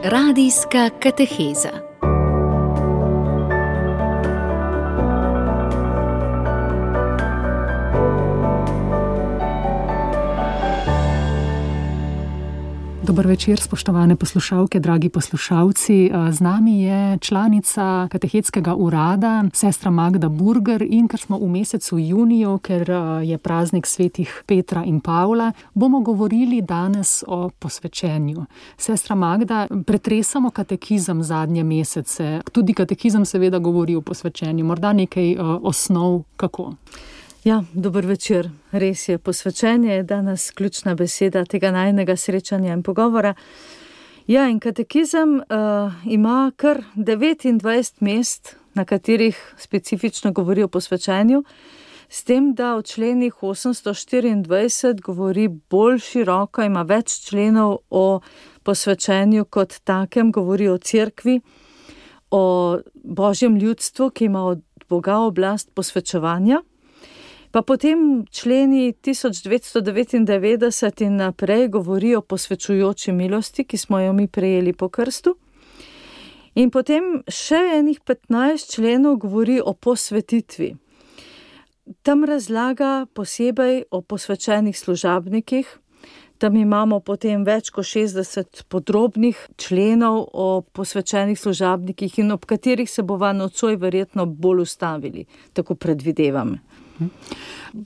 Radijska kateheza. Dober večer, spoštovane poslušalke, dragi poslušalci. Z nami je članica katehetskega urada, sestra Magda Burger, in ker smo v mesecu juniju, ker je praznik svetih Petra in Pavla, bomo govorili danes o posvečenju. Sestra Magda, pretresamo katekizem zadnje mesece. Tudi katekizem seveda govori o posvečenju. Morda nekaj osnov, kako? Ja, dober večer. Res je, posvečenje je danes ključna beseda tega najinega srečanja in pogovora. Ja, in katekizem ima kar 29 mest, na katerih specifično govori o posvečenju, s tem, da v členih 824 govori bolj široko, ima več členov o posvečenju kot takem, govori o cerkvi, o Božjem ljudstvu, ki ima od Boga oblast posvečevanja. Pa potem členi 1999 in naprej govori o posvečujoči milosti, ki smo jo mi prejeli po krstu. In potem še enih 15 členov govori o posvetitvi. Tam razlaga posebej o posvečenih služabnikih. Tam imamo potem več kot 60 podrobnih členov o posvečenih služabnikih in ob katerih se bova nocoj verjetno bolj ustavili, tako predvidevam.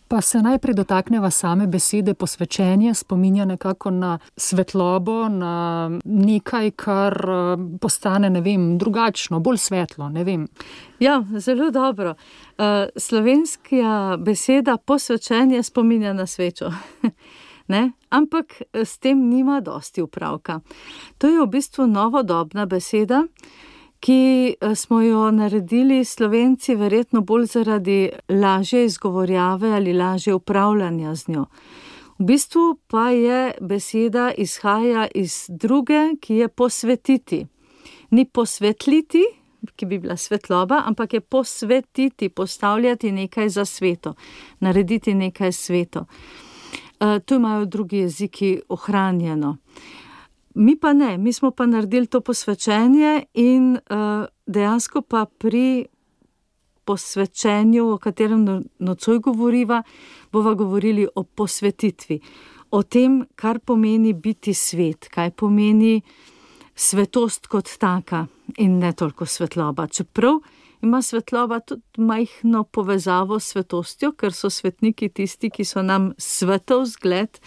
Pa se najprej dotakneva same besede posvečenje, spominja nekako na svetlobo, na nekaj, kar postane, drugačno, bolj svetlo, Ja, zelo dobro. Slovenska beseda posvečenje spominja na svečo. Ne? Ampak s tem nima dosti upravka. To je v bistvu novodobna beseda, ki smo jo naredili Slovenci verjetno bolj zaradi lažje izgovorjave ali lažje upravljanja z njo. V bistvu pa je beseda izhaja iz druge, ki je posvetiti. Ni posvetliti, ki bi bila svetloba, ampak je posvetiti, postavljati nekaj za sveto, narediti nekaj sveto. Tu imajo drugi jeziki ohranjeno. Mi pa ne, mi smo pa naredili to posvečenje in dejansko pa pri posvečenju, o katerem nocoj govoriva, bova govorili o posvetitvi. O tem, kar pomeni biti svet, kaj pomeni svetost kot taka in ne toliko svetloba. Čeprav ima svetloba tudi majhno povezavo s svetostjo, ker so svetniki tisti, ki so nam svetov zgled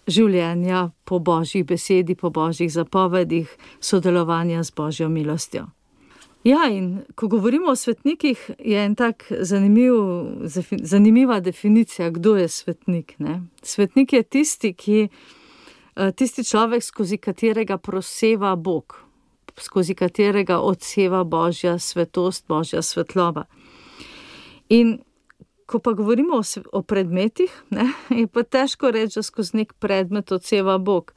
življenja po Božjih besedi, po Božjih zapovedih, sodelovanja z Božjo milostjo. Ja, in ko govorimo o svetnikih, je en tak zanimiva definicija, kdo je svetnik. Ne? Svetnik je tisti človek, skozi katerega proseva Bog, skozi katerega odseva Božja svetost, Božja svetloba. In ko pa govorimo o predmetih, je pa težko reči, da skozi nek predmet odseva Bog.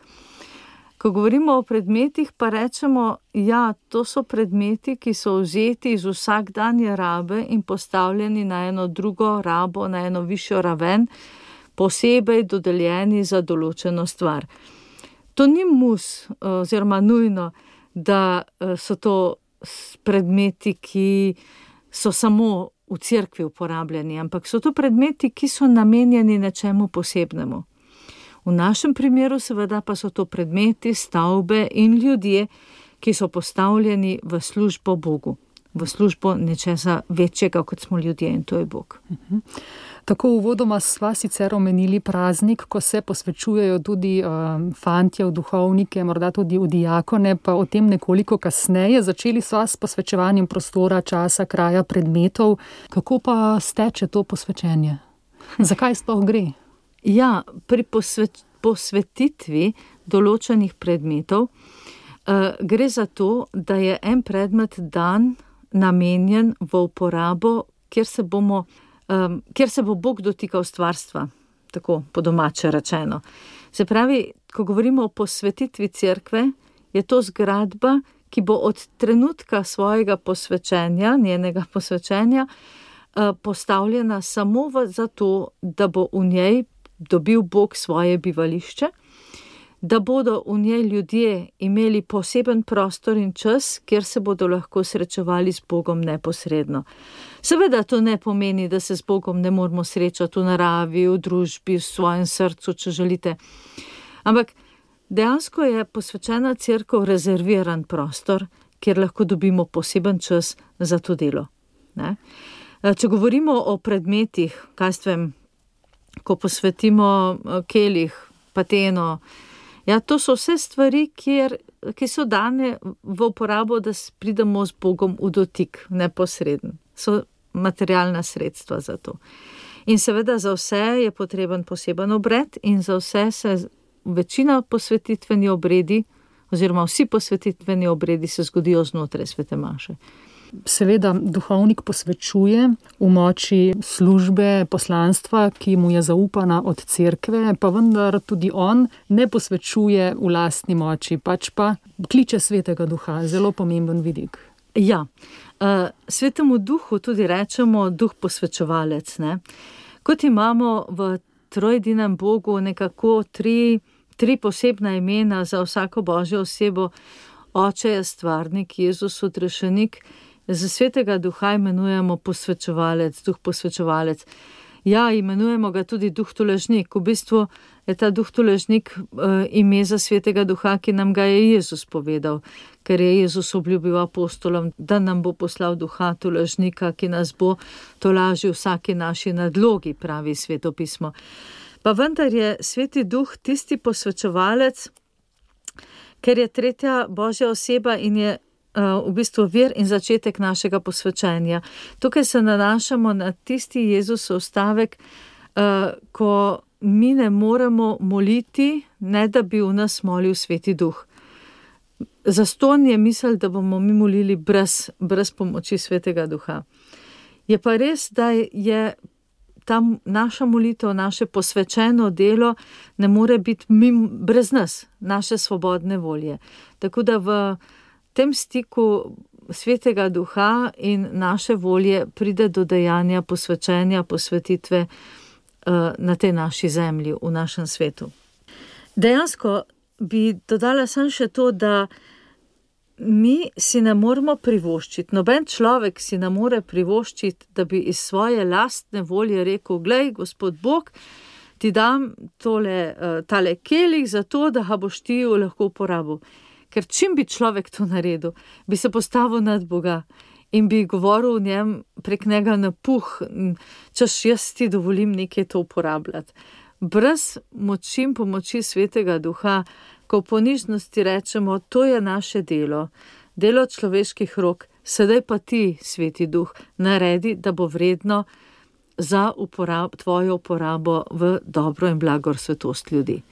Ko govorimo o predmetih, pa rečemo, ja, to so predmeti, ki so vzeti iz vsakdanje rabe in postavljeni na eno drugo rabo, na eno višjo raven, posebej dodeljeni za določeno stvar. To ni oziroma nujno, da so to predmeti, ki so samo v cerkvi uporabljeni, ampak so to predmeti, ki so namenjeni nečemu posebnemu. V našem primeru seveda pa so to predmeti, stavbe in ljudje, ki so postavljeni v službo Bogu, v službo nečesa večjega, kot smo ljudje, in to je Bog. Tako uvodoma sva sicer omenili praznik, ko se posvečujejo tudi fantje v duhovnike, morda tudi v diakone, pa o tem nekoliko kasneje. Začeli sva s posvečevanjem prostora, časa, kraja, predmetov. Kako pa steče to posvečenje? Zakaj sploh gre? Ja, pri posvetitvi določenih predmetov gre za to, da je en predmet dan namenjen v uporabo, kjer se bo Bog dotikal stvarstva, tako po domače rečeno. Se pravi, ko govorimo o posvetitvi cerkve, je to zgradba, ki bo od trenutka svojega posvečenja, njenega posvečenja, postavljena samo zato, da bo v njej dobil Bog svoje bivališče, da bodo v njej ljudje imeli poseben prostor in čas, kjer se bodo lahko srečevali z Bogom neposredno. Seveda to ne pomeni, da se z Bogom ne moramo srečati v naravi, v družbi, v svojem srcu, če želite. Ampak dejansko je posvečena cerkev rezerviran prostor, kjer lahko dobimo poseben čas za to delo. Ne? Če govorimo o predmetih, ko posvetimo kelih, pateno, to so vse stvari, ki so dane v uporabo, da pridemo z Bogom v dotik, neposreden. So materialna sredstva za to. In seveda za vse je potreben poseben obred in za vse se večina posvetitveni obredi, oziroma vsi posvetitveni obredi se zgodijo znotraj svete maše. Seveda duhovnik posvečuje v moči službe, poslanstva, ki mu je zaupana od cerkve, pa vendar tudi on ne posvečuje v lastni moči, pač pa kliče svetega duha, zelo pomemben vidik. Ja, svetemu duhu tudi rečemo duh posvečevalec. Ne? Kot imamo v trojedinem Bogu nekako tri posebna imena za vsako božjo osebo, Oče je stvarnik, Jezus odrešenik, za svetega duha imenujemo posvečevalec, duh posvečevalec. Ja, imenujemo ga tudi duh tolažnik. V bistvu je ta duh tolažnik ime za svetega duha, ki nam ga je Jezus povedal, ker je Jezus obljubil apostolom, da nam bo poslal duha tolažnika, ki nas bo tolažil vsaki naši nadlogi, pravi svetopismo. Pa vendar je sveti duh tisti posvečevalec, ker je tretja božja oseba in je v bistvu vir in začetek našega posvečenja. Tukaj se nanašamo na tisti Jezusov stavek, ko mi ne moremo moliti, ne da bi v nas molil sveti duh. Zastonj je misel, da bomo mi molili brez pomoči svetega duha. Je pa res, da je tam naša molitev, naše posvečeno delo ne more biti brez nas, naše svobodne volje. Tako da v tem stiku svetega duha in naše volje pride do dejanja posvečenja, posvetitve na tej naši zemlji, v našem svetu. Dejansko bi dodala samo še to, da mi si ne moremo privoščiti, noben človek si ne more privoščiti, da bi iz svoje lastne volje rekel, glej, Gospod Bog, ti dam tale kelih za to, da ga boš ti lahko uporabil. Ker čim bi človek to naredil, bi se postavil nad Boga in bi govoril v njem prek njega na puh, češ jaz ti dovolim nekaj to uporabljati. Brez moči in pomoči svetega duha, ko v ponižnosti rečemo, to je naše delo človeških rok, sedaj pa ti, sveti duh, naredi, da bo vredno za tvojo uporabo v dobro in blagor svetost ljudi.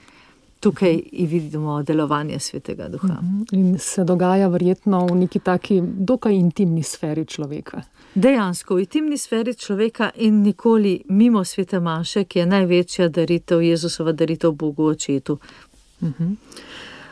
Tukaj vidimo delovanje svetega duha. In se dogaja verjetno v neki taki dokaj intimni sferi človeka. Dejansko v intimni sferi človeka in nikoli mimo svete maše, ki je največja daritev, Jezusova daritev Bogu Očetu.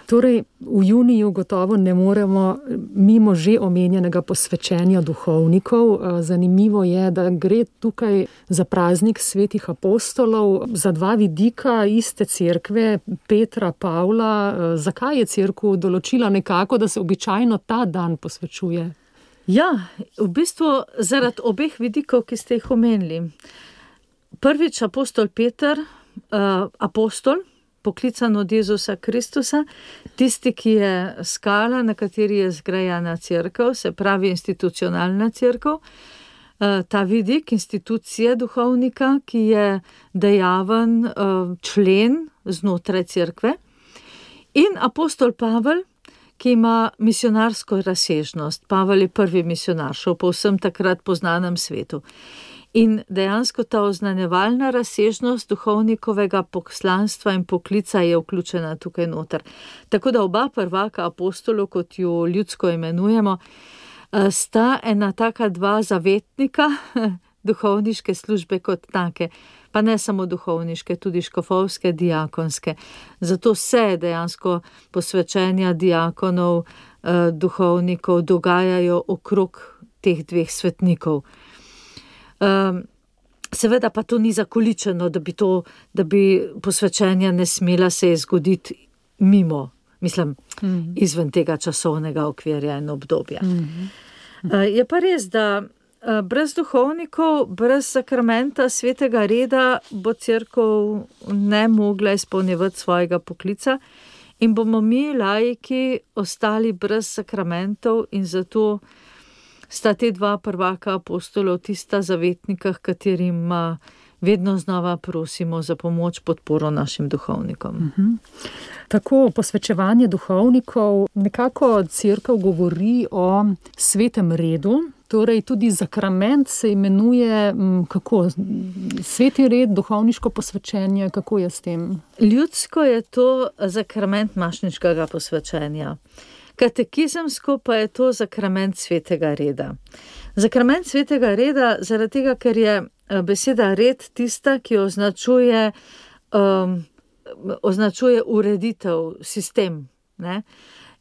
Torej, v juniju gotovo ne moremo mimo že omenjenega posvečenja duhovnikov. Zanimivo je, da gre tukaj za praznik svetih apostolov, za dva vidika iste cerkve, Petra, Pavla. Zakaj je cerkev določila nekako, da se običajno ta dan posvečuje? Ja, v bistvu zaradi obeh vidikov, ki ste jih omenili. Prvič apostol Peter, apostol, poklican od Jezusa Kristusa, tisti, ki je skala, na kateri je zgrajena cerkev, se pravi institucionalna cerkev, ta vidik institucije duhovnika, ki je dejaven člen znotraj cerkve, in apostol Pavel, ki ima misionarsko razsežnost. Pavel je prvi misionar, šel po vsem takrat poznanem svetu. In dejansko ta oznanjevalna razsežnost duhovnikovega poslanstva in poklica je vključena tukaj noter. Tako da oba prvaka apostolov, kot jo ljudsko imenujemo, sta ena taka dva zavetnika duhovniške službe kot take. Pa ne samo duhovniške, tudi škofovske, diakonske. Zato se dejansko posvečenja diakonov, duhovnikov dogajajo okrog teh dveh svetnikov. Seveda pa to ni zakoličeno, da bi posvečenja ne smela se zgoditi mimo, mislim, izven tega časovnega okvirja in obdobja. Je pa res, da brez duhovnikov, brez sakramenta svetega reda bo cerkev ne mogla izpolnjevati svojega poklica in bomo mi, laiki, ostali brez sakramentov in zato sta te dva prvaka apostolov tista zavetnika, katerim vedno znova prosimo za pomoč, podporo našim duhovnikom. Tako posvečevanje duhovnikov, nekako cerkev govori o svetem redu, torej tudi sakrament se imenuje, kako, sveti red, duhovniško posvečenje, kako je s tem? Ljudsko je to sakrament mašniškega posvečenja. Katekizemsko pa je to sakrament svetega reda. Sakrament svetega reda zaradi tega, ker je beseda red tista, ki označuje ureditev, sistem. Ne?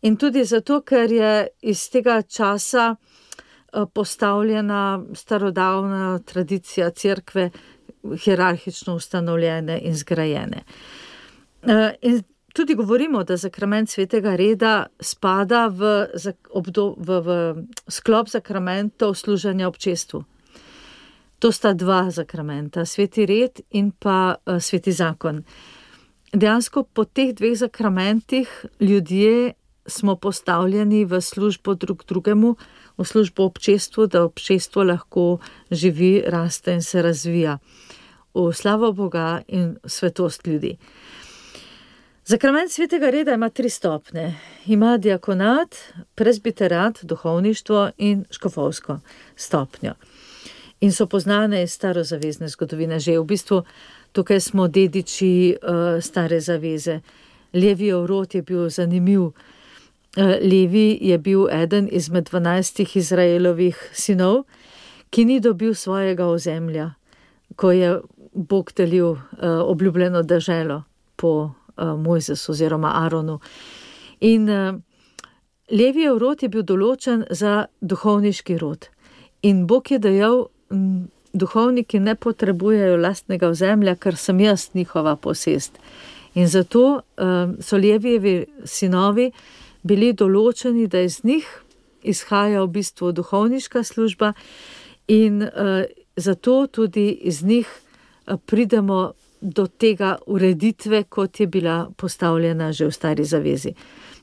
In tudi zato, ker je iz tega časa postavljena starodavna tradicija cerkve, hierarhično ustanovljene in zgrajene. In tudi govorimo, da sakrament svetega reda spada v sklop sakramentov služenja občestvu. To sta dva sakramenta, sveti red in pa sveti zakon. Dejansko po teh dveh sakramentih ljudje smo postavljeni v službo drug drugemu, v službo občestvu, da občestvo lahko živi, raste in se razvija v slavo Boga in svetost ljudi. Sakrament svetega reda ima 3 stopnje. Ima diakonat, presbiterat, duhovništvo in škofovsko stopnjo. In so poznane iz starozavezne zgodovine. Že v bistvu tukaj smo dediči stare zaveze. Levijev rod je bil zanimiv. Levi je bil eden izmed 12 Izraelovih sinov, ki ni dobil svojega ozemlja, ko je Bog delil obljubljeno deželo po Mojzesu oziroma Aronu. In Levijev rod je bil določen za duhovniški rod. In Bog je dejal, duhovniki ne potrebujejo lastnega ozemlja, ker sem jaz njihova posest. In zato so Levijevi sinovi bili določeni, da iz njih izhaja v bistvu duhovniška služba in zato tudi iz njih pridemo do tega ureditve, kot je bila postavljena že v stari zavezi.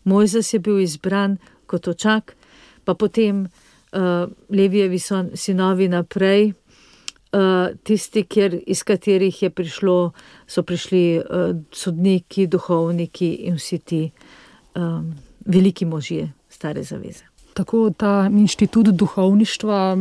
Mojzes je bil izbran kot očak, pa potem Levijevi sinovi naprej, tisti, iz katerih so prišli sodniki, duhovniki in vsi ti veliki možje stare zaveze. Tako ta inštitut duhovništva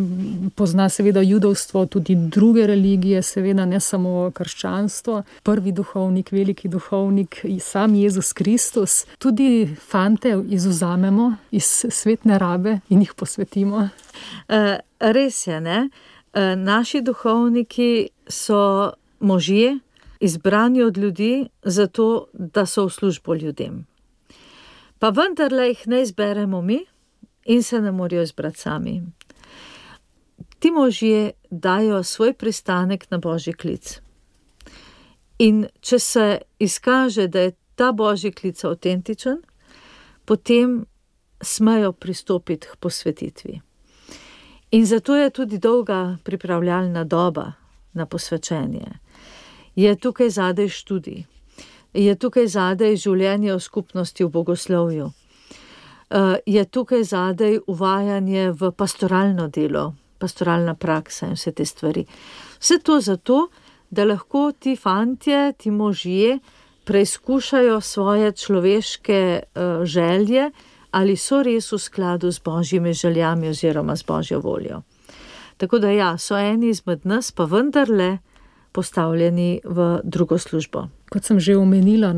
pozna seveda judovstvo, tudi druge religije, seveda ne samo krščanstvo. Prvi duhovnik, veliki duhovnik, sam Jezus Kristus. Tudi fante izvzamemo iz svetne rabe in jih posvetimo. Res je, ne? Naši duhovniki so možje, izbrani od ljudi, zato da so v službo ljudem. Pa vendarle jih ne izberemo mi in se ne morajo izbrati sami. Ti možje dajo svoj pristanek na božji klic. In če se izkaže, da je ta božji klic avtentičen, potem smejo pristopiti k posvetitvi. In zato je tudi dolga pripravljalna doba na posvečenje. Je tukaj zadaj študij. Je tukaj zadaj življenje v skupnosti, v bogoslovju. Je tukaj zadaj uvajanje v pastoralno delo, pastoralna praksa in vse te stvari. Vse to zato, da lahko ti fantje, ti možje preizkušajo svoje človeške želje, ali so res v skladu z božjimi željami oziroma z božjo voljo. Tako da ja, so eni izmed nas pa vendarle postavljeni v drugo službo. Kot sem že omenila,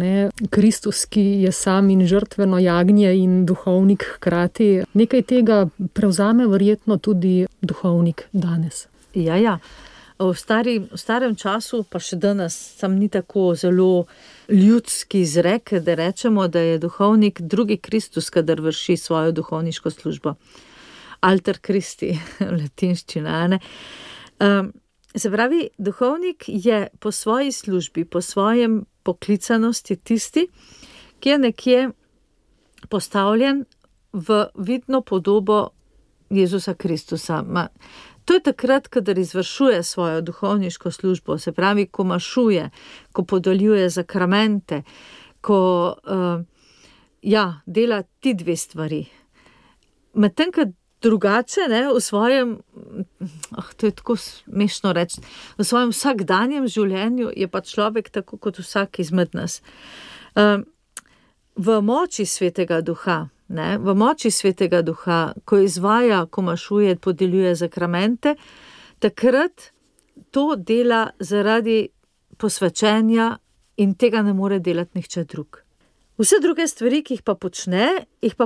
Kristus, ki je sam in žrtveno jagnje in duhovnik hkrati, nekaj tega prevzame verjetno tudi duhovnik danes. Ja. V starem času, pa še danes, sam ni tako zelo ljudski izrek, da rečemo, da je duhovnik drugi Kristus, kadar vrši svojo duhovniško službo. Alter Christi, latinščina, ne? Se pravi, duhovnik je po svoji službi, po svojem poklicanosti tisti, ki je nekje postavljen v vidno podobo Jezusa Kristusa. To je takrat, kadar izvršuje svojo duhovniško službo, se pravi, ko mašuje, ko podeljuje zakramente, ko dela ti dve stvari. Medtem, ko drugače, v svojem, to je tako smešno reči, v svojem vsakdanjem življenju je pa človek tako kot vsak izmed nas. V moči Svetega Duha, v moči Svetega Duha, ko izvaja, ko mašuje, podeljuje zakramente, takrat to dela zaradi posvečenja in tega ne more delati nihče drug. Vse druge stvari, ki jih pa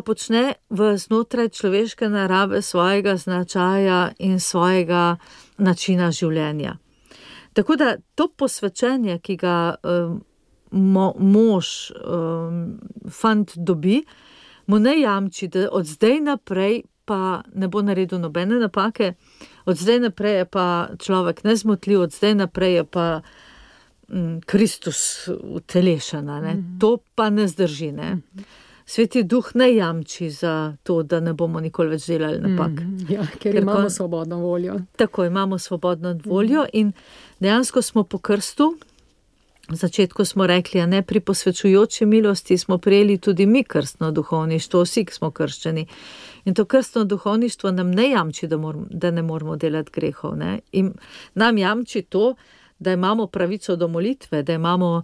počne v znotraj človeške narave, svojega značaja in svojega načina življenja. Tako da to posvečenje, ki ga mož, fant dobi, mu ne jamči, da od zdaj naprej pa ne bo naredil nobene napake, od zdaj naprej je pa človek nezmotljiv, od zdaj naprej je pa Kristus utelešen. To pa ne zdrži. Sveti Duh ne jamči za to, da ne bomo nikoli več delali napak. Ker imamo svobodno voljo. Tako, imamo svobodno voljo in dejansko smo po krstu, v začetku smo rekli, pri posvečujoči milosti smo prejeli tudi mi krstno duhovništvo, vsi, ki smo krščeni. In to krstno duhovništvo nam ne jamči, da ne moramo delati grehov. In nam jamči to, da imamo pravico do molitve, da imamo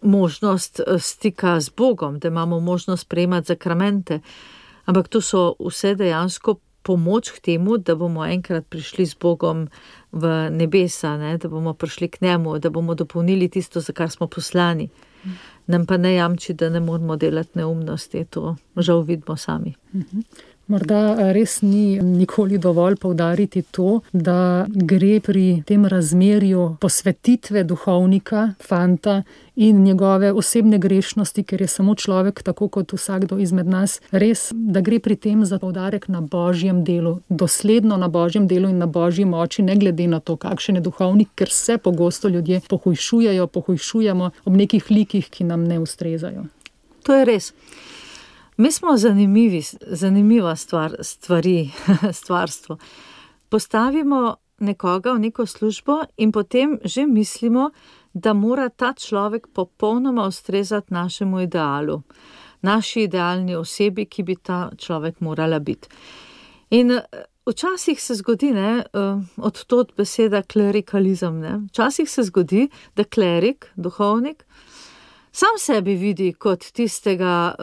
možnost stika z Bogom, da imamo možnost prejemati zakramente. Ampak to so vse dejansko pomoč k temu, da bomo enkrat prišli z Bogom v nebesa, da bomo prišli k njemu, da bomo dopolnili tisto, za kar smo poslani. Nam pa ne jamči, da ne moramo delati neumnosti, to žal vidimo sami. Morda res ni nikoli dovolj poudariti to, da gre pri tem razmerju posvetitve duhovnika, fanta in njegove osebne grešnosti, ker je samo človek, tako kot vsakdo izmed nas, res, da gre pri tem za poudarek na Božjem delu, dosledno na Božjem delu in na Božji moči, ne glede na to, kakšen je duhovnik, ker se pogosto ljudje pohujšujemo ob nekih likih, ki nam ne ustrezajo. To je res. Mi smo zanimiva stvarstvo. Postavimo nekoga v neko službo in potem že mislimo, da mora ta človek popolnoma ustrezati našemu idealu, naši idealni osebi, ki bi ta človek morala biti. In včasih se zgodi, od tod beseda klerikalizem, včasih se zgodi, da klerik, duhovnik, sam sebi vidi kot tistega,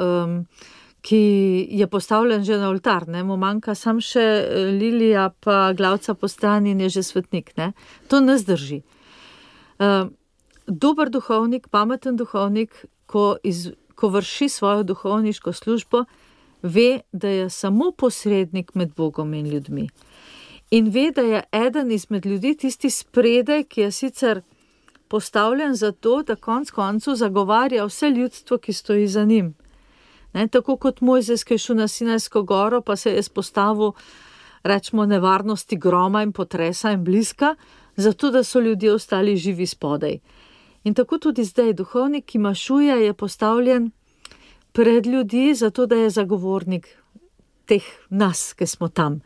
ki je postavljen že na oltar, mu manjka sam še lilija pa glavca po strani in je že svetnik. To ne zdrži. Dober duhovnik, pameten duhovnik, ko vrši svojo duhovniško službo, ve, da je samo posrednik med Bogom in ljudmi. In ve, da je eden izmed ljudi tisti spredaj, ki je sicer postavljen za to, da konec koncev zagovarja vse ljudstvo, ki stoji za njim. Tako kot Mojzes, ki je šel na Sinajsko goro, pa se je izpostavil, rečemo, nevarnosti groma in potresa in bliska, zato da so ljudje ostali živi spodaj. In tako tudi zdaj duhovnik, ki mašuje, je postavljen pred ljudi, zato da je zagovornik teh nas, ki smo tam.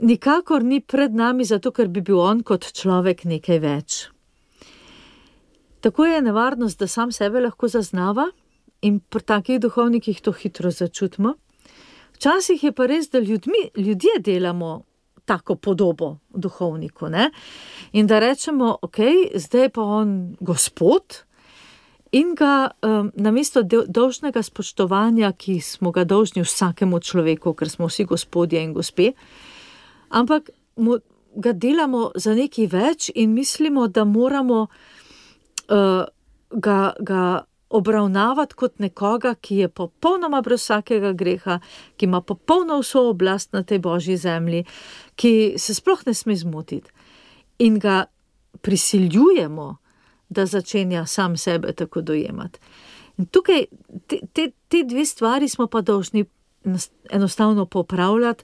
Nikakor ni pred nami, zato ker bi bil on kot človek nekaj več. Tako je nevarnost, da sam sebe lahko zaznava in pri takih duhovnikih to hitro začutimo. Včasih je pa res, da ljudje delamo tako podobo duhovniku, in da rečemo, zdaj je pa on gospod in ga namesto dolžnega spoštovanja, ki smo ga dolžni vsakemu človeku, ker smo vsi gospodje in gospe, ampak ga delamo za nekaj več in mislimo, da moramo ga obravnavati kot nekoga, ki je popolnoma brez vsakega greha, ki ima popolno vso oblast na tej Božji zemlji, ki se sploh ne sme zmotiti. In ga prisiljujemo, da začenja sam sebe tako dojemati. In tukaj te dve stvari smo pa dolžni enostavno popravljati,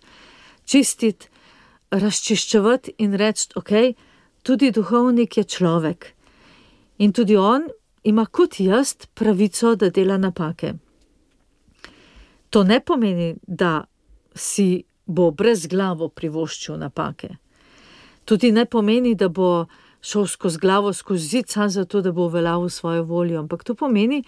čistiti, razčiščevati in reči, tudi duhovnik je človek. In tudi on ima kot jaz pravico, da dela napake. To ne pomeni, da si bo brezglavo privoščil napake. Tudi ne pomeni, da bo šel skozi glavo, skozi zid, samo zato, da bo uveljavil svojo voljo. Ampak to pomeni,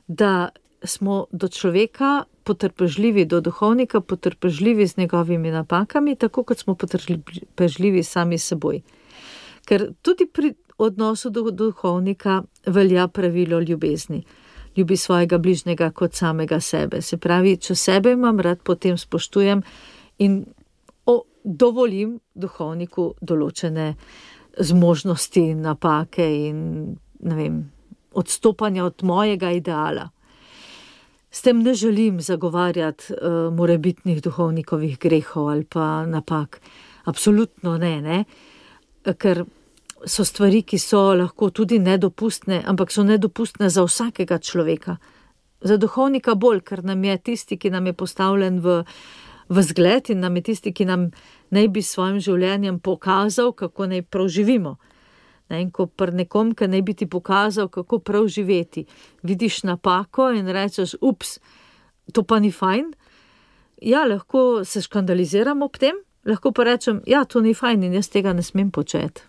da smo do človeka potrpežljivi, do duhovnika potrpežljivi z njegovimi napakami, tako kot smo potrpežljivi sami s seboj. Ker tudi pri odnosu do duhovnika velja pravilo ljubezni. Ljubi svojega bližnjega kot samega sebe. Se pravi, če sebe imam rad, potem spoštujem in dovolim duhovniku določene zmožnosti, napake in odstopanja od mojega ideala. S tem ne želim zagovarjati morebitnih duhovnikovih grehov ali pa napak. Absolutno ne. Ker so stvari, ki so lahko tudi nedopustne, ampak so nedopustne za vsakega človeka. Za duhovnika bolj, ker nam je tisti, ki nam je postavljen v zgled in nam je tisti, ki nam naj bi s svojim življenjem pokazal, kako naj prav živimo. In ko pri nekom, ki naj bi ti pokazal, kako prav živeti, vidiš napako in rečeš, ups, to pa ni fajn. Ja, lahko se škandaliziram ob tem, lahko pa rečem, ja, to ni fajn in jaz tega ne smem početi.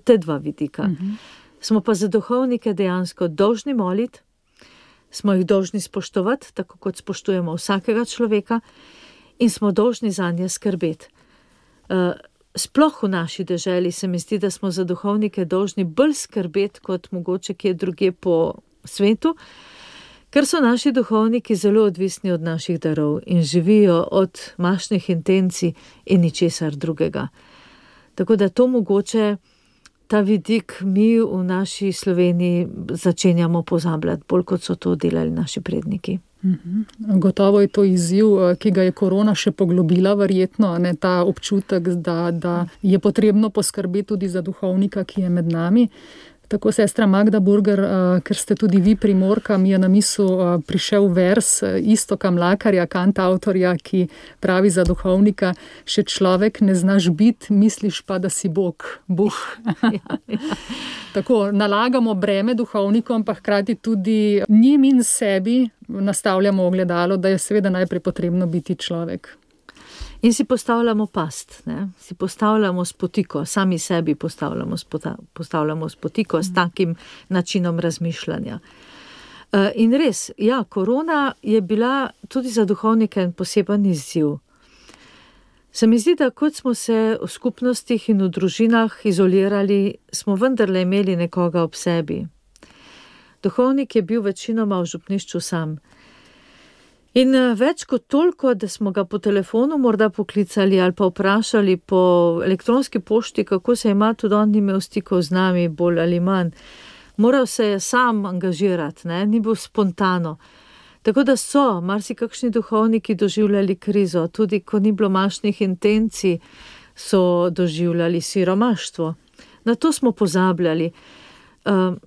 Te dva vidika. Smo pa za duhovnike dejansko dolžni moliti, smo jih dolžni spoštovati, tako kot spoštujemo vsakega človeka, in smo dolžni zanje skrbeti. Sploh v naši deželi se mi zdi, da smo za duhovnike dolžni bolj skrbeti, kot mogoče kje drugje po svetu, ker so naši duhovniki zelo odvisni od naših darov in živijo od mašnih intencij in ničesar drugega. Tako da to mogoče, ta vidik mi v naši Sloveniji začenjamo pozabljati, bolj kot so to delali naši predniki. Gotovo je to izziv, ki ga je korona še poglobila, verjetno, ta občutek, da je potrebno poskrbeti tudi za duhovnika, ki je med nami. Tako, sestra Magda Burger, ker ste tudi vi Primorka, mi je na misel prišel vers Iztoka Mlakarja, kantavtorja, ki pravi za duhovnika, še človek ne znaš biti, misliš pa, da si Bog. Tako, nalagamo breme duhovnikom, pa hkrati tudi njim in sebi nastavljamo ogledalo, da je seveda najprej potrebno biti človek. In si postavljamo past, si postavljamo spotiko, sami sebi postavljamo spotiko s takim načinom razmišljanja. In res, ja, korona je bila tudi za duhovnike en poseben izziv. Se mi zdi, da kot smo se v skupnostih in v družinah izolirali, smo vendarle imeli nekoga ob sebi. Duhovnik je bil večinoma v župnišču sam. In več kot toliko, da smo ga po telefonu morda poklicali ali pa vprašali po elektronski pošti, kako se ima, tudi on ni imel stikov z nami, bolj ali manj. Moral se je sam angažirati, ni bil spontano. Tako da so marsikakšni duhovniki doživljali krizo, tudi ko ni bilo mašnih intencij, so doživljali siromaštvo. Na to smo pozabljali.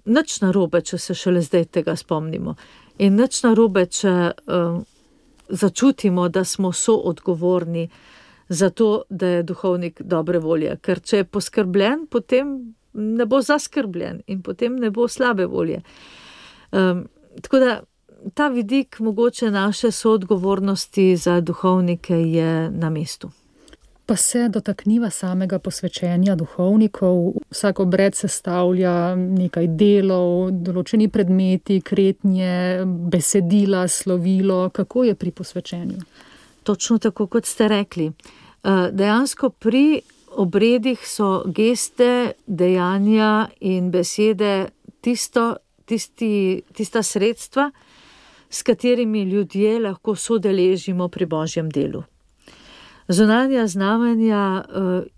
Nič narobe, če se šele zdaj tega spomnimo. In nič narobe, če začutimo, da smo soodgovorni za to, da je duhovnik dobre volje. Ker če je poskrbljen, potem ne bo zaskrbljen in potem ne bo slabe volje. Tako da ta vidik mogoče naše soodgovornosti za duhovnike je na mestu. Pa se dotakniva samega posvečenja duhovnikov. Vsak obred sestavlja nekaj delov, določeni predmeti, kretnje, besedila, slovilo. Kako je pri posvečenju? Točno tako, kot ste rekli. Dejansko pri obredih so geste, dejanja in besede tista sredstva, s katerimi ljudje lahko sodeležimo pri Božjem delu. Zunanja znamenja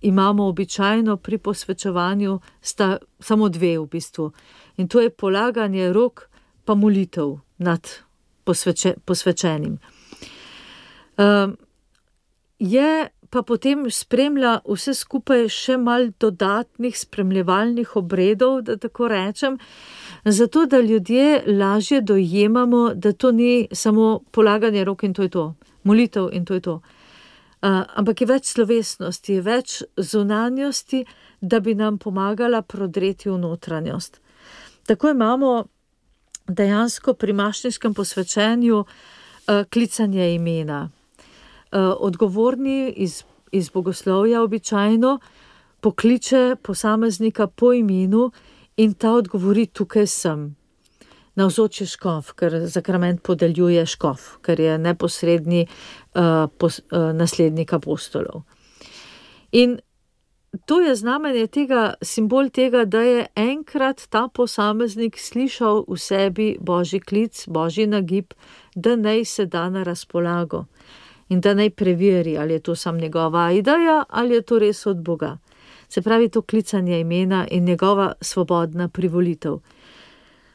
imamo običajno pri posvečevanju, sta samo dve v bistvu. In to je polaganje rok pa molitev nad posvečenim. Je pa potem spremlja vse skupaj še malo dodatnih spremljevalnih obredov, da tako rečem, zato da ljudje lažje dojemamo, da to ni samo polaganje rok in to je to, molitev in to je to. Ampak je več slovesnosti, je več zunanjosti, da bi nam pomagala prodreti v notranjost. Tako imamo dejansko pri mašniškem posvečenju klicanje imena. Odgovorni iz bogoslovja običajno pokliče posameznika po imenu in ta odgovori: tukaj sem. Navzoči škof, ker zakrament podeljuje škof, ker je neposredni naslednik apostolov. In to je znamenje tega, simbol tega, da je enkrat ta posameznik slišal v sebi božji klic, božji nagib, da naj se da na razpolago in da naj preveri, ali je to sam njegova ideja ali je to res od Boga. Se pravi, to klicanje imena in njegova svobodna privolitev.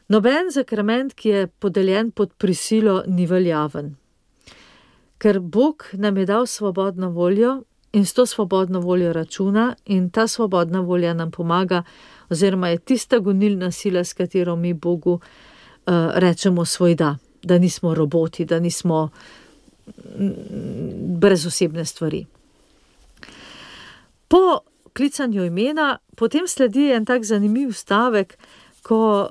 Noben zakrament, ki je podeljen pod prisilo, ni veljaven. Ker Bog nam je dal svobodno voljo in s to svobodno voljo računa in ta svobodna volja nam pomaga, oziroma je tista gonilna sila, s katero mi Bogu rečemo svoj da nismo roboti, da nismo brezosebne stvari. Po klicanju imena potem sledi en tak zanimiv stavek, ko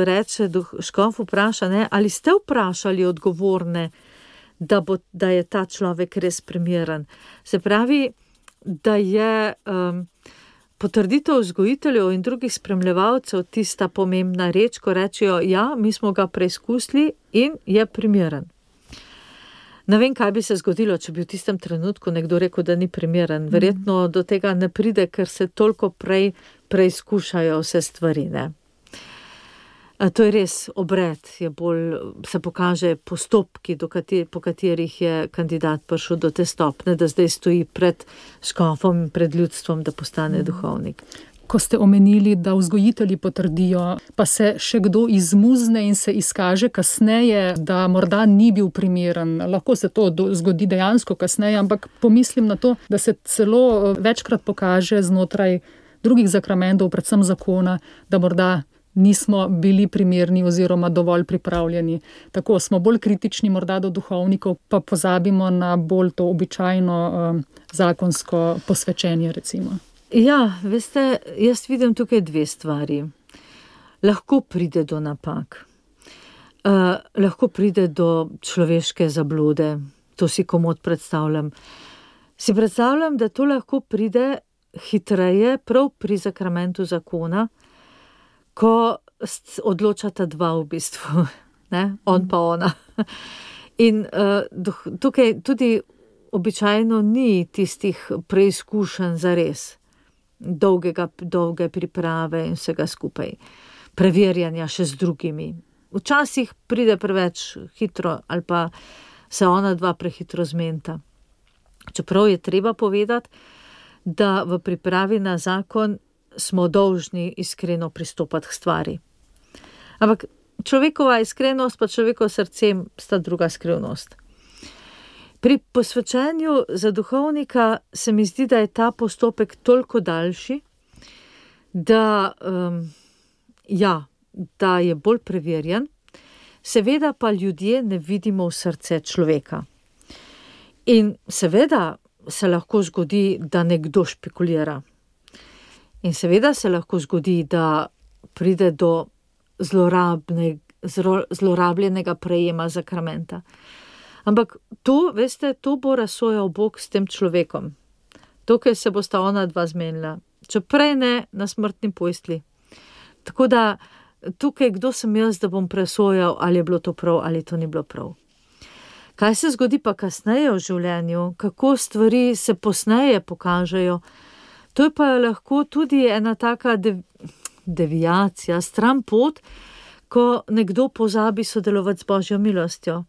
reče škof vpraša, ali ste vprašali odgovorne, da je ta človek res primeren. Se pravi, da je potrditev vzgojiteljev in drugih spremljevalcev tista pomembna reč, ko rečejo: ja, mi smo ga preizkusili in je primeren. Ne vem, kaj bi se zgodilo, če bi v tistem trenutku nekdo rekel, da ni primeren. Verjetno do tega ne pride, ker se toliko prej preizkušajo vse stvari, ne. To je res obred, se pokaže postopki, po katerih je kandidat prišel do te stopnje, da zdaj stoji pred škofom in pred ljudstvom, da postane duhovnik. Ko ste omenili, da vzgojitelji potrdijo, pa se še kdo izmuzne in se izkaže kasneje, da morda ni bil primeren. Lahko se to zgodi dejansko kasneje, ampak pomislim na to, da se celo večkrat pokaže znotraj drugih zakramentov, predvsem zakona, da morda nismo bili primerni oziroma dovolj pripravljeni. Tako smo bolj kritični morda do duhovnikov, pa pozabimo na bolj to običajno zakonsko posvečenje, recimo. Ja, veste, jaz vidim tukaj dve stvari. Lahko pride do napak. Lahko pride do človeške zablode. To si komot predstavljam. Si predstavljam, da to lahko pride hitreje prav pri zakramentu zakona, ko odločata dva v bistvu, ne? On pa ona. In tukaj tudi običajno ni tistih preizkušenj zares, dolge priprave in vsega skupaj, preverjanja še z drugimi. Včasih pride preveč hitro ali pa se ona dva prehitro zmenta. Čeprav je treba povedati, da v pripravi na zakon smo dolžni iskreno pristopati k stvari. Ampak človekova iskrenost pa človekovo srce sta druga skrivnost. Pri posvečenju za duhovnika se mi zdi, da je ta postopek toliko daljši, da je bolj preverjen, seveda pa ljudje ne vidimo v srce človeka. In seveda se lahko zgodi, da nekdo špekulira. In seveda se lahko zgodi, da pride do zlorabljenega prejema zakramenta. Ampak to, veste, to bo razsojal Bog s tem človekom. Tukaj se bosta ona dva zmenila. Če prej ne, na smrtni postelji. Tako da tukaj, kdo sem jaz, da bom presojal, ali je bilo to prav, ali to ni bilo prav. Kaj se zgodi pa kasneje v življenju, kako stvari se posneje pokažejo, to je pa lahko tudi ena taka deviacija, stran pot, ko nekdo pozabi sodelovati z Božjo milostjo.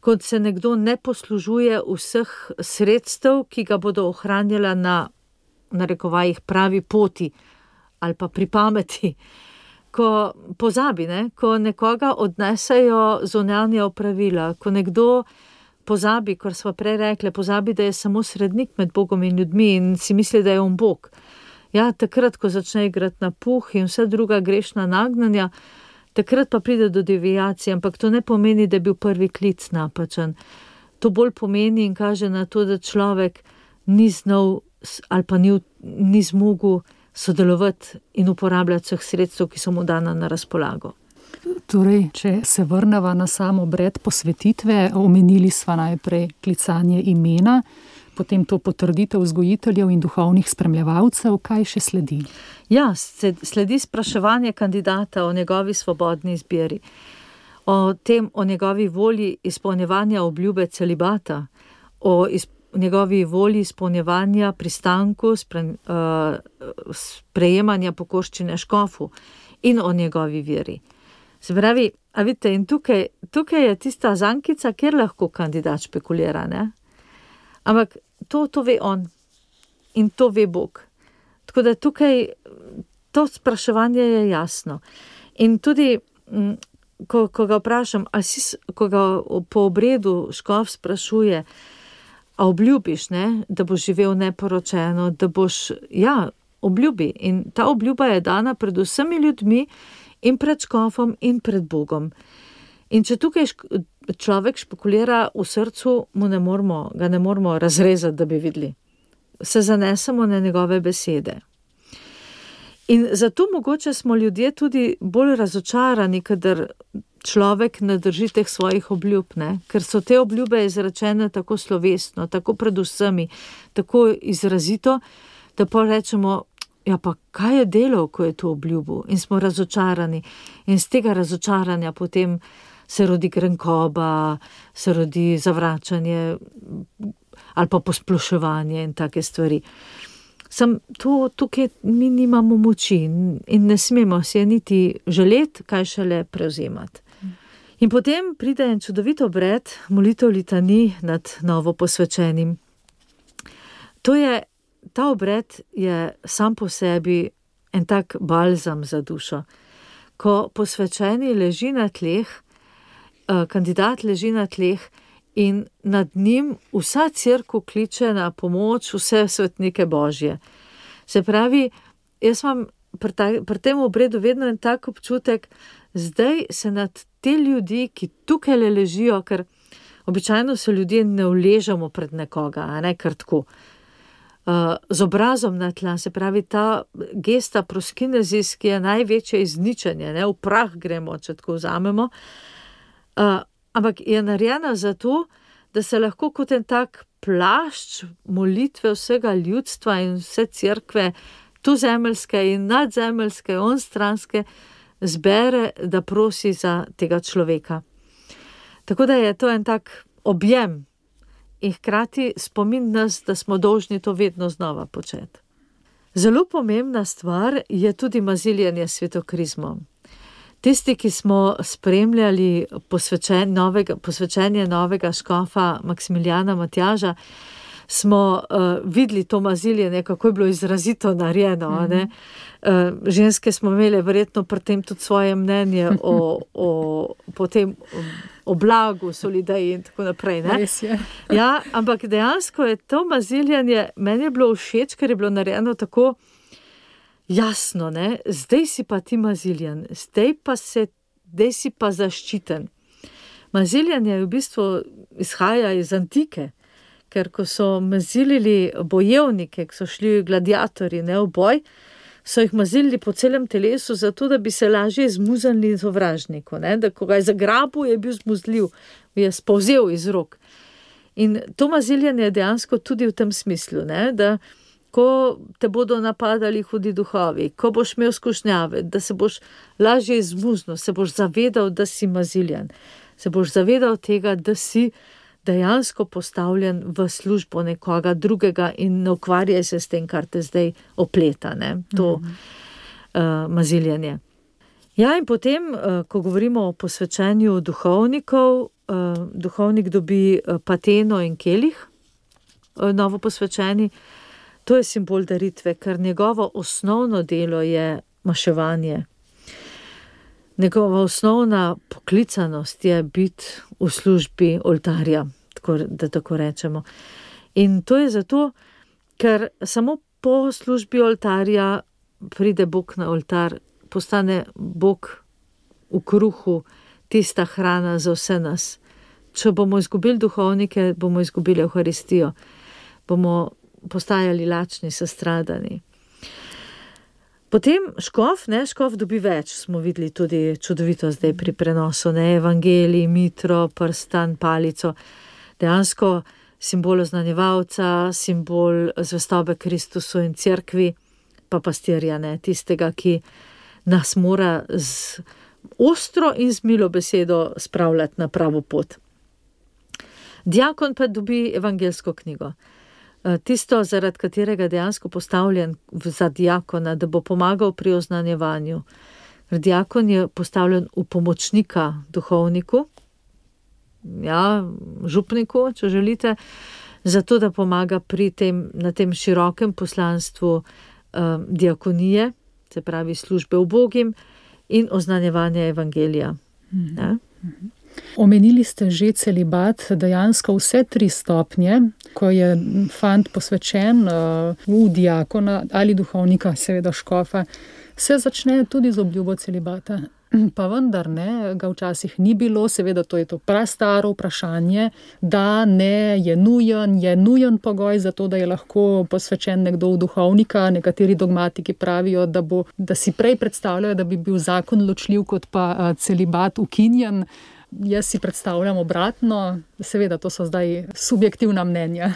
Ko se nekdo ne poslužuje vseh sredstev, ki ga bodo ohranjala na narekovajih pravi poti ali pa pri pameti. Ko pozabi, ko nekoga odnesejo zunanja opravila, ko nekdo pozabi, kar smo prej rekli, pozabi, da je samo srednik med Bogom in ljudmi in si misli, da je on Bog. Ja, takrat, ko začne igrati na puh in vse druga grešna nagnanja, takrat pa pride do deviacije, ampak to ne pomeni, da je bil prvi klic napačen. To bolj pomeni in kaže na to, da človek ni znal ali pa ni zmogel sodelovati in uporabljati vseh sredstev, ki so mu dana na razpolago. Torej, če se vrneva na sam obred posvetitve, omenili sva najprej klicanje imena, potem to potrditev vzgojiteljev in duhovnih spremljevalcev, kaj še sledi? Ja, sledi spraševanje kandidata o njegovi svobodni izbiri, o njegovi volji izpolnjevanja obljube celibata, o njegovi volji izpolnjevanja pristanku, sprejemanja pokorščine škofu in o njegovi veri. Se pravi, a vidite, in tukaj je tista zankica, kjer lahko kandidat špekulira, ne? Ampak to ve on in to ve Bog. Tako da tukaj to spraševanje je jasno. In tudi, ko ga vprašam, ko ga po obredu škof sprašuje, a obljubiš, ne, da boš živel neporočeno, da boš, obljubi. In ta obljuba je dana pred vsemi ljudmi in pred škofom in pred Bogom. In če tukaj človek špekulira v srcu, ga ne moremo razrezati, da bi videli. Se zanesemo na njegove besede. In zato mogoče smo ljudje tudi bolj razočarani, kadar človek ne drži teh svojih obljub, ne? Ker so te obljube izrečene tako slovesno, tako pred vsemi, tako izrazito, da pa rečemo, ja pa kaj je delal, ko je to obljubil? In smo razočarani. In z tega razočaranja potem se rodi grenkoba, se rodi zavračanje ali pa posploševanje in take stvari. Tukaj mi nimamo moči in ne smemo se niti želeti, kaj šele prevzemati. In potem pride en čudovit obred, molitev litani nad novo posvečenim. Ta obred je sam po sebi en tak balzam za dušo. Ko posvečeni leži na tleh, kandidat leži na tleh in nad njim vsa cerkev kliče na pomoč, vse svetnike Božje. Se pravi, jaz imam pri tem obredu vedno en tak občutek, zdaj se nad te ljudi, ki tukaj ležijo, ker običajno se ljudje ne uležamo pred nekoga, a ne kar tako. Z obrazom na tla, se pravi ta gesta proskinezis, ki je največje izničenje, ne, v prah gremo, če tako vzamemo, ampak je narejena zato, da se lahko kot en tak plašč molitve vsega ljudstva in vse cerkve, tuzemeljske in nadzemeljske, onstranske, zbere, da prosi za tega človeka. Tako da je to en tak objem in hkrati spomin nas, da smo dolžni to vedno znova početi. Zelo pomembna stvar je tudi maziljenje s svetokrizmom. Tisti, ki smo spremljali posvečenje novega škofa Maksimiljana Matjaža, smo videli to maziljenje, kako je bilo izrazito narejeno. Ne? Ženske smo imeli verjetno pri tem tudi svoje mnenje o blagu, solidaji in tako naprej. Ne? Res je. Ja, ampak dejansko je to maziljenje, meni je bilo všeč, ker je bilo narejeno tako jasno, ne? Zdaj si pa ti maziljen, zdaj si pa zaščiten. Maziljenje v bistvu izhaja iz antike, ker ko so mazilili bojevnike, ki so šli gladiatorji, ne, v boj, so jih mazilili po celem telesu, zato da bi se lažje zmuznili sovražniku, ne, da ko ga je zagrabil, je bil zmuzljiv, je spolzel iz rok. In to maziljenje je dejansko tudi v tem smislu, ne, da ko te bodo napadali hudi duhovi, ko boš imel skušnjave, da se boš lažje izmuznil, se boš zavedal, da si maziljen, se boš zavedal tega, da si dejansko postavljen v službo nekoga drugega in ne ukvarjaj se s tem, kar te zdaj opleta, ne, to maziljenje. Ja, in potem, ko govorimo o posvečenju duhovnikov, duhovnik dobi pateno in kelih, novo posvečeni. To je simbol daritve, ker njegovo osnovno delo je maševanje. Njegova osnovna poklicanost je biti v službi oltarja, da tako rečemo. In to je zato, ker samo po službi oltarja pride Bog na oltar, postane Bog v kruhu tista hrana za vse nas. Če bomo izgubili duhovnike, bomo izgubili Evharistijo, bomo postajali lačni, sestradani. Potem škof dobi več, smo videli tudi čudovito zdaj pri prenosu, evangelij, mitro, prstan, palico, dejansko simbol oznanjevalca, simbol zvestobe Kristusu in cerkvi, pa pastirja, tistega, ki nas mora z ostro in z milo besedo spravljati na pravo pot. Diakon pa dobi evangelsko knjigo. Tisto, zaradi katerega dejansko postavljen za diakona, da bo pomagal pri oznanjevanju. Diakon je postavljen v pomočnika duhovniku, župniku, če želite, zato da pomaga na tem širokem poslanstvu diakonije, se pravi službe ubogim in oznanjevanja evangelija. Omenili ste že celibat, dejansko vse 3 stopnje, ko je fant posvečen v diakona ali duhovnika, seveda škofa, se začne tudi z obljubo celibata. Pa vendar ga včasih ni bilo, seveda to je to prastaro vprašanje, da je nujen pogoj za to, da je lahko posvečen nekdo v duhovnika. Nekateri dogmatiki pravijo, da si prej predstavljajo, da bi bil zakon ločljiv, kot pa celibat ukinjen. Jaz si predstavljam obratno, seveda to so zdaj subjektivna mnenja.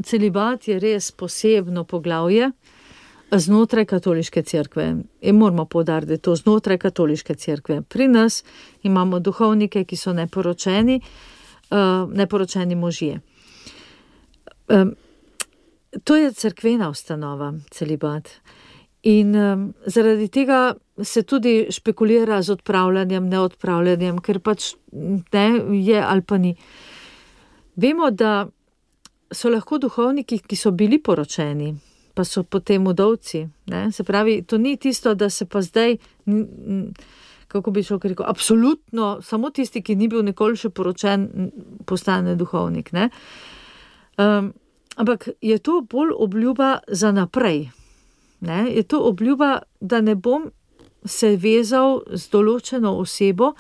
Celibat je res posebno poglavje znotraj katoliške cerkve. In moramo poudariti, da je to znotraj katoliške cerkve. Pri nas imamo duhovnike, ki so neporočeni možje. To je cerkvena ustanova, celibat. In zaradi tega se tudi špekulira z odpravljanjem, neodpravljanjem, ker pač je ali pa ni. Vemo, da so lahko duhovniki, ki so bili poročeni, pa so potem udovci. Se pravi, to ni tisto, da se pa zdaj, kako bi človek rekel, absolutno, samo tisti, ki ni bil nikoli še poročen, postane duhovnik. Ampak je to bolj obljuba za naprej. Je to obljuba, da ne bom se vezal z določeno osebo,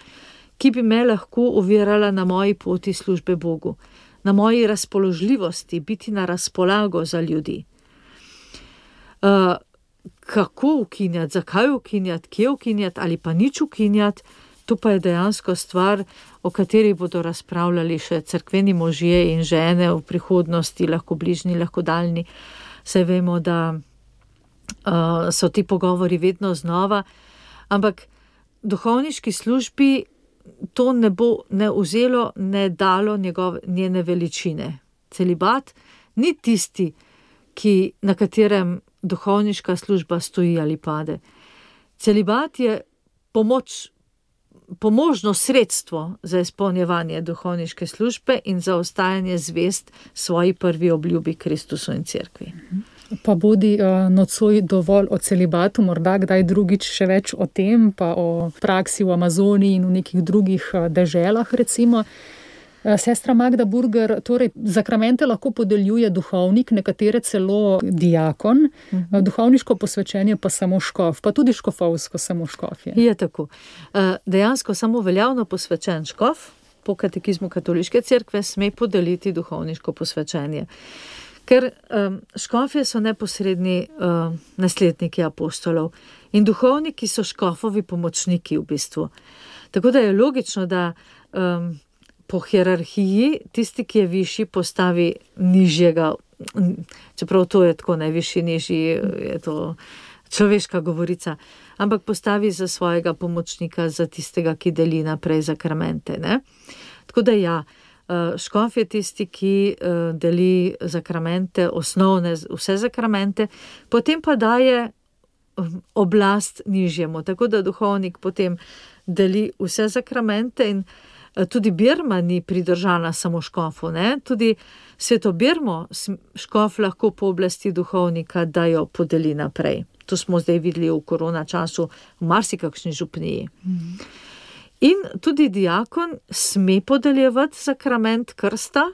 ki bi me lahko ovirala na moji poti službe Bogu, na moji razpoložljivosti, biti na razpolago za ljudi. Kako ukinjati, zakaj ukinjati, kje ukinjati ali pa nič ukinjati, to pa je dejansko stvar, o kateri bodo razpravljali še cerkveni možje in žene v prihodnosti, lahko bližnji, lahko daljni. Saj vemo, da so ti pogovori vedno znova, ampak duhovniški službi to ne bo ne vzelo, ne dalo njene veličine. Celibat ni tisti, na katerem duhovniška služba stoji ali pade. Celibat je pomožno sredstvo za izpolnjevanje duhovniške službe in za ostajanje zvest svoji prvi obljubi Kristusu in cerkvi. Pa bodi nocoj dovolj o celibatu, morda kdaj drugič še več o tem, pa o praksi v Amazoniji in v nekih drugih deželah recimo. Sestra Magda Burger, torej zakramente lahko podeljuje duhovnik, nekatere celo diakon, duhovniško posvečenje pa samo škof, pa tudi škofovsko samo škof je. Je tako. Dejansko samo veljavno posvečen škof po katekizmu katoliške cerkve sme podeliti duhovniško posvečenje. Ker škofje so neposredni nasledniki apostolov in duhovniki so škofovi pomočniki v bistvu. Tako da je logično, da po hierarhiji tisti, ki je višji, postavi nižjega, čeprav to je tako najvišji, nižji, je to človeška govorica, ampak postavi za svojega pomočnika, za tistega, ki deli naprej zakramente. Tako da škof je tisti, ki deli zakramente, osnovne, vse zakramente, potem pa daje oblast nižjemu, tako da duhovnik potem deli vse zakramente in tudi birma ni pridržana samo škofu, tudi sveto birmo škof lahko pooblasti duhovnika, da jo podeli naprej. To smo zdaj videli v korona času v marsikakšni župniji. In tudi diakon sme podeljevati sakrament krsta,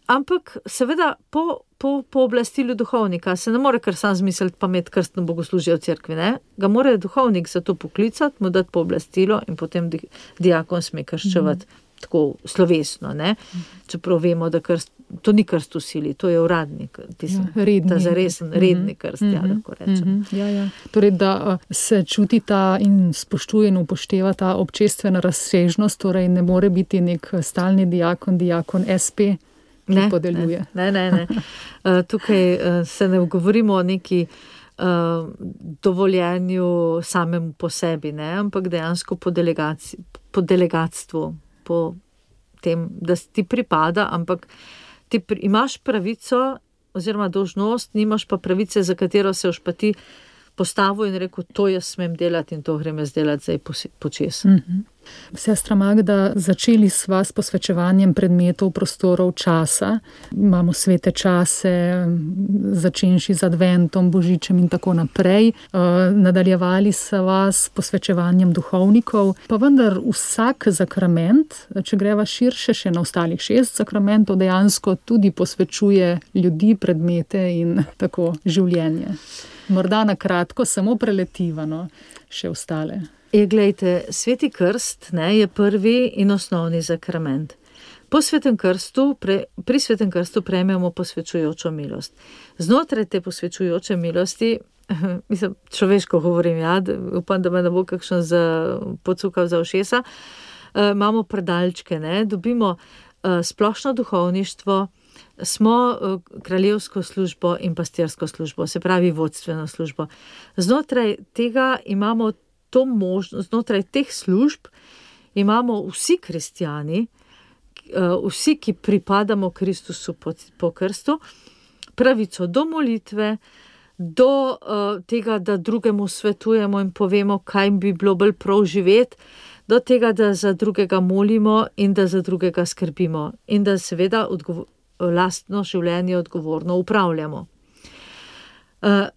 ampak seveda po pooblastilu duhovnika se ne more kar sam zmisliti pa imeti krstno bogoslužje v cerkvi. Ga mora duhovnik za to poklicati, mu dati pooblastilo in potem diakon sme krščevati tako slovesno, ne? Čeprav vemo, da to ni krst v sili, to je uradni, ta zaresen, redni krst, lahko rečem. Torej, da se čuti ta in spoštuje in upošteva ta občestvena razsežnost, torej ne more biti nek stalni diakon SP, ki podeljuje. Ne. Tukaj se ne govorimo o neki dovoljenju samemu po sebi, ne? Ampak dejansko po delegatstvu, po tem, da ti pripada, ampak ti imaš pravico oziroma dolžnost, nimaš pa pravice, za katero se boš pa ti postavil in rekel, to jaz smem delati in to grem jaz delati zdaj počes. Sestra Magda, začeli sva s posvečevanjem predmetov, prostorov, časa. Imamo svete čase, začenši z adventom, božičem in tako naprej. Nadaljevali sva s posvečevanjem duhovnikov, pa vendar vsak sakrament, če greva širše še na ostalih 6 sakramentov, dejansko tudi posvečuje ljudi, predmete in tako življenje. Morda na kratko, samo preletivano še ostale. Glejte, sveti krst je prvi in osnovni sakrament. Pri svetem krstu prejmemo posvečujočo milost. Znotraj te posvečujoče milosti, mislim, človeško govorim, upam, da me ne bo kakšen pocukal za ušesa, imamo predalčke, dobimo splošno duhovništvo, smo kraljevsko službo in pastirsko službo, se pravi vodstveno službo. Znotraj tega imamo to možnost, znotraj teh služb imamo vsi kristjani, vsi, ki pripadamo Kristusu po krstu, pravico do molitve, do tega, da drugemu svetujemo in povemo, kaj bi bilo bolj prav živeti, do tega, da za drugega molimo in da za drugega skrbimo in da seveda lastno življenje odgovorno upravljamo.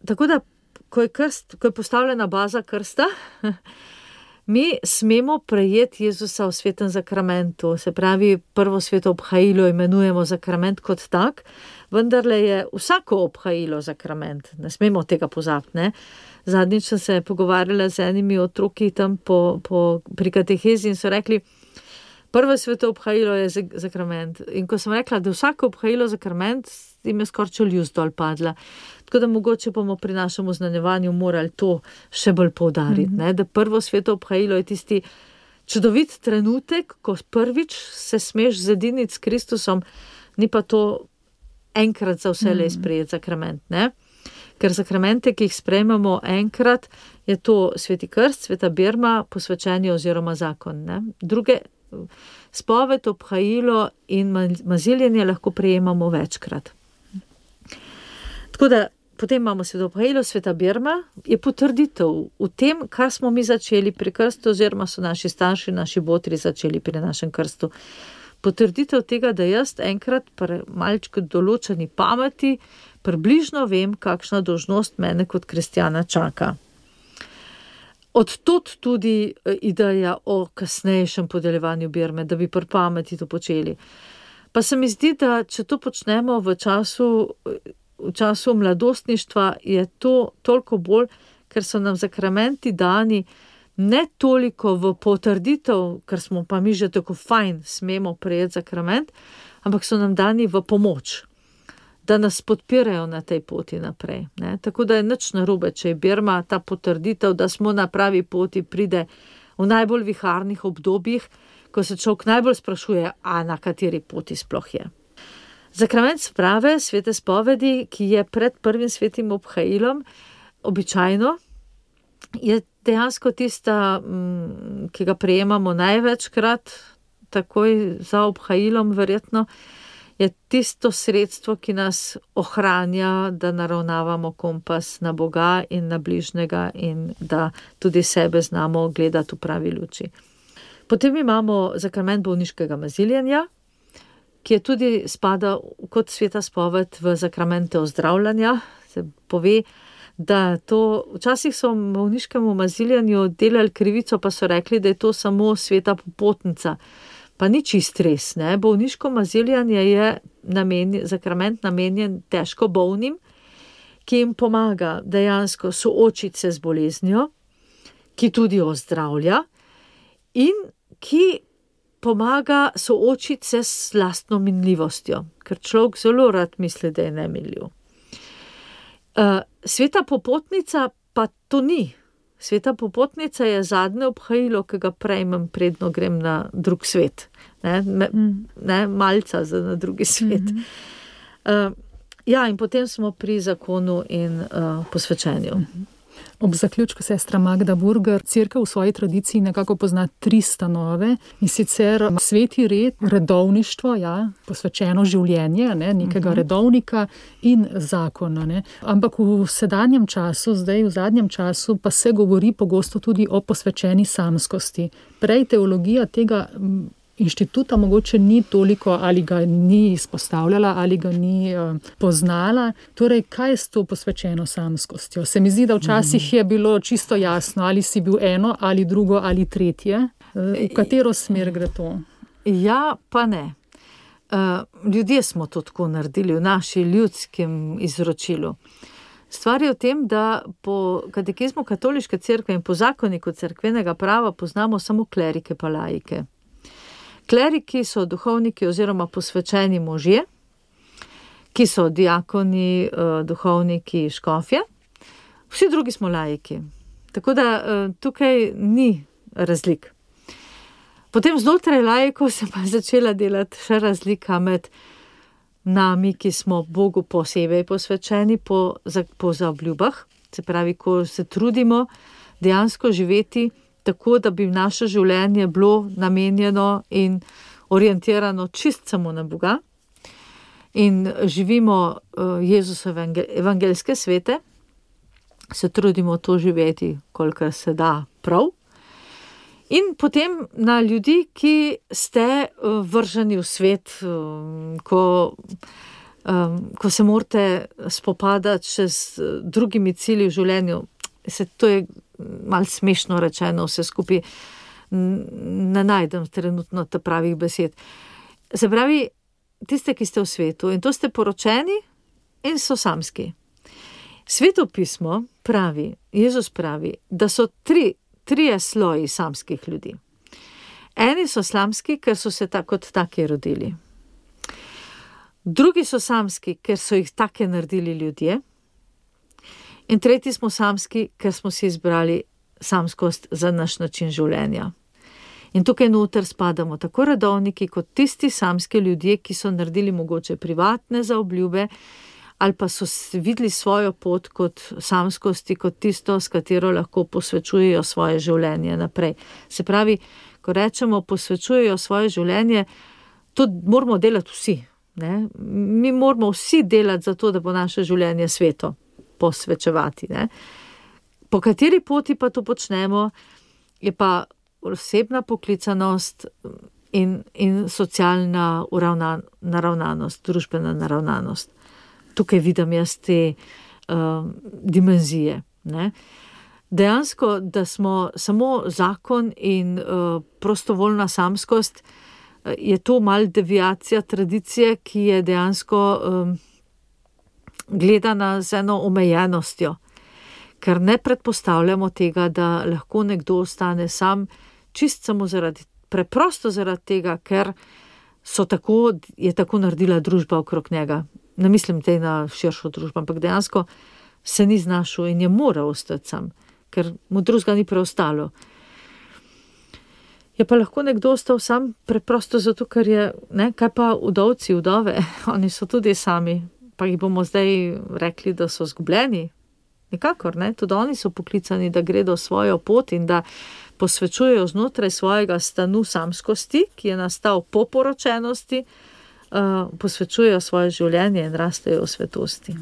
Tako da, ko je postavljena baza krsta, mi smemo prejeti Jezusa v svetem sakramentu, se pravi, prvo sveto obhajilo imenujemo sakrament kot tak, vendarle je vsako obhajilo sakrament, ne smemo tega pozabiti, ne. Zadnjič sem se pogovarjala z enimi otroki tam pri katehezi in so rekli, prvo sveto obhajilo je sakrament. In ko sem rekla, da vsako obhajilo sakrament, jim je skoraj čeljust dol padla. Tako da mogoče bomo pri našem oznanjevanju morali to še bolj poudariti, da prvo sveto obhajilo je tisti čudovit trenutek, ko prvič se smeš zediniti s Kristusom, ni pa to enkrat za vselej sprejeti sakrament, ne? Ker sakramente, ki jih sprejmemo enkrat, je to sveti krst, sveta birma, posvečenje oziroma zakon, ne? Druge spoved, obhajilo in maziljenje lahko prejemamo večkrat. Tako da potem imamo sveto obhajilo, sveta birma, je potrditev v tem, kar smo mi začeli pri krstu, oziroma so naši starši, naši botri začeli pri našem krstu. Potrditev tega, da jaz enkrat pri malčku določeni pameti približno vem, kakšna dolžnost mene kot kristjana čaka. Od tod tudi ideja o kasnejšem podeljevanju birme, da bi pri pameti to počeli. Pa se mi zdi, da če to počnemo v času mladostništva, je to toliko bolj, ker so nam sakramenti dani ne toliko v potrditev, ker smo pa mi že tako fajn, smemo prejeti sakrament, ampak so nam dani v pomoč, da nas podpirajo na tej poti naprej, ne? Tako da je nič narobe, če je birma, ta potrditev, da smo na pravi poti, pride v najbolj viharnih obdobjih, ko se človek najbolj sprašuje, a na kateri poti sploh je. Sakrament sprave, svete spovedi, ki je pred prvim svetim obhajilom, običajno je dejansko tista, ki ga prejemamo največkrat, takoj za obhajilom verjetno, je tisto sredstvo, ki nas ohranja, da naravnavamo kompas na Boga in na bližnjega in da tudi sebe znamo gledati v pravi luči. Potem imamo sakrament bolniškega maziljenja, ki je tudi spada kot sveta spoved v sakramente ozdravljanja. Se pove, da to, včasih so v bolniškemu maziljenju delali krivico, pa so rekli, da je to samo sveta popotnica. Pa ni čist res, ne. Bolniško maziljanje je sakrament namenjen težko bolnim, ki jim pomaga dejansko soočiti se z boleznijo, ki tudi ozdravlja in ki pomaga soočiti se s lastno minljivostjo, ker človek zelo rad misli, da je nemiljiv. Sveta popotnica pa to ni. Sveta popotnica je zadnje obhajilo, ki ga prejmem, predno grem na drug svet. Malca na drugi svet. In potem smo pri zakonu in posvečenju. Ob zaključku sestra Magda Burger, cerkev v svoji tradiciji nekako pozna 3 stanove, in sicer sveti red, redovništvo, posvečeno življenje, nekega redovnika in zakona. Ampak v sedanjem času, zdaj v zadnjem času, pa se govori pogosto tudi o posvečeni samskosti. Prej teologija tega inštituta mogoče ni toliko, ali ga ni izpostavljala, ali ga ni poznala. Torej, kaj je s to posvečeno samskostjo? Se mi zdi, da včasih je bilo čisto jasno, ali si bil eno, ali drugo, ali tretje. V katero smer gre to? Ja, pa ne. Ljudje smo to tako naredili v naši ljudskem izročilu. Stvar je v tem, da po katekizmu katoliške cerkve in po zakoniku cerkvenega prava poznamo samo klerike pa laike. Kleriki so duhovniki oziroma posvečeni možje, ki so diakoni, duhovniki, škofje. Vsi drugi smo laiki. Tako da tukaj ni razlik. Potem znotraj laikov se pa začela delati še razlika med nami, ki smo Bogu posebej posvečeni po zaobljubah. Se pravi, ko se trudimo dejansko živeti tako, da bi naše življenje bilo namenjeno in orientirano čist samo na Boga in živimo Jezusove evangeljske svete, se trudimo to živeti, kolikor se da prav. In potem na ljudi, ki ste vrženi v svet, ko se morate spopadati še z drugimi cilji v življenju. To je malo smešno rečeno, vse skupaj ne najdem trenutno ta pravih besed. Se pravi, tiste, ki ste v svetu, in to ste poročeni in so samski. Sveto pismo pravi, Jezus pravi, da so trije sloji samskih ljudi. Eni so samski, ker so se kot taki rodili. Drugi so samski, ker so jih take naredili ljudje. In tretji smo samski, ker smo si izbrali samskost za naš način življenja. In tukaj noter spadamo tako redovniki, kot tisti samski ljudje, ki so naredili mogoče privatne zaobljube, ali pa so videli svojo pot kot samskosti, kot tisto, s katero lahko posvečujejo svoje življenje naprej. Se pravi, ko rečemo posvečujejo svoje življenje, to moramo delati vsi. Mi moramo vsi delati za to, da bo naše življenje sveto. Posvečevati. Po kateri poti pa to počnemo, je pa osebna poklicanost in socialna naravnanost, družbena naravnanost. Tukaj vidim jaz te dimenzije. Dejansko, da smo samo zakon in prostovoljna samskost, je to mal deviacija tradicije, ki je dejansko gledana z eno omejenostjo, ker ne predpostavljamo tega, da lahko nekdo ostane sam, čist samo preprosto zaradi tega, ker je tako naredila družba okrog njega. Ne mislim tej na širšo družbo, ampak dejansko se ni znašel in je moral ostati sam, ker mu drugega ni preostalo. Je pa lahko nekdo ostal sam preprosto zato, ker je, kaj pa vdovci, vdove, oni so tudi sami. Pa jih bomo zdaj rekli, da so zgubljeni. Nikakor, tudi oni so poklicani, da gredo svojo pot in da posvečujejo znotraj svojega stanu samskosti, ki je nastal po poročenosti, posvečujejo svoje življenje in rastejo v svetosti.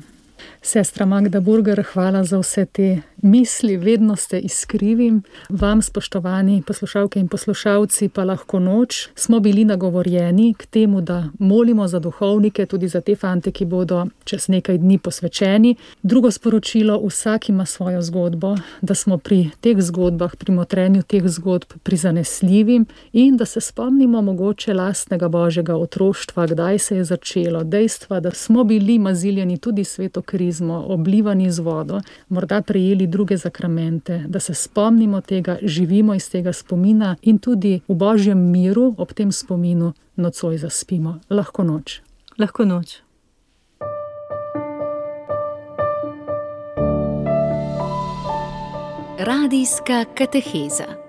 Sestra Magda Burger, hvala za vse te misli, vedno ste iskrivi. Vam, spoštovani poslušalke in poslušalci, pa lahko noč smo bili nagovorjeni k temu, da molimo za duhovnike, tudi za te fante, ki bodo čez nekaj dni posvečeni. Drugo sporočilo, vsak ima svojo zgodbo, da smo pri teh zgodbah, pri motrenju teh zgodb prizanesljivi in da se spomnimo mogoče lastnega božjega otroštva, kdaj se je začelo, dejstva, da smo bili maziljeni tudi sveto krizmo, oblivani z vodo, morda prejeli druge zakramente, da se spomnimo tega, živimo iz tega spomina in tudi v Božjem miru ob tem spominu nocoj zaspimo. Lahko noč. Lahko noč. Radijska kateheza.